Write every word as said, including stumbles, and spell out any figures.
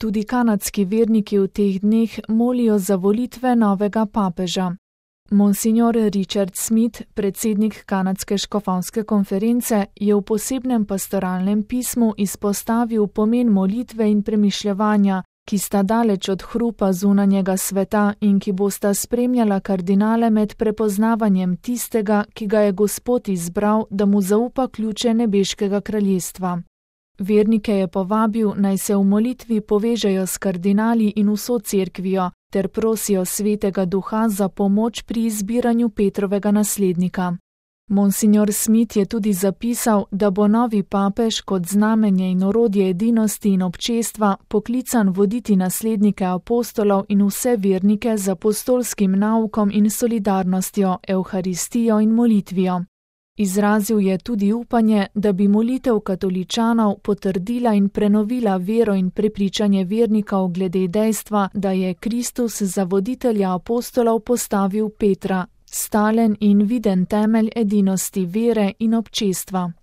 tudi kanadski verniki v teh dneh molijo za volitve novega papeža. Monsignor Richard Smith, predsednik kanadske škofovske konference, je v posebnem pastoralnem pismu izpostavil pomen molitve in premišljevanja, ki sta daleč od hrupa zunanjega sveta in ki bosta spremljala kardinale med prepoznavanjem tistega, ki ga je Gospod izbral, da mu zaupa ključe nebeškega kraljestva. Vernike je povabil, naj se v molitvi povežejo s kardinali in vso cerkvijo, ter prosijo Svetega Duha za pomoč pri izbiranju Petrovega naslednika. Monsignor Smith je tudi zapisal, da bo novi papež kot znamenje in orodje edinosti in občestva poklican voditi naslednike apostolov in vse vernike z apostolskim naukom in solidarnostjo, evharistijo in molitvijo. Izrazil je tudi upanje, da bi molitev katoličanov potrdila in prenovila vero in prepričanje vernikov glede dejstva, da je Kristus za voditelja apostolov postavil Petra, stalen in viden temelj edinosti vere in občestva.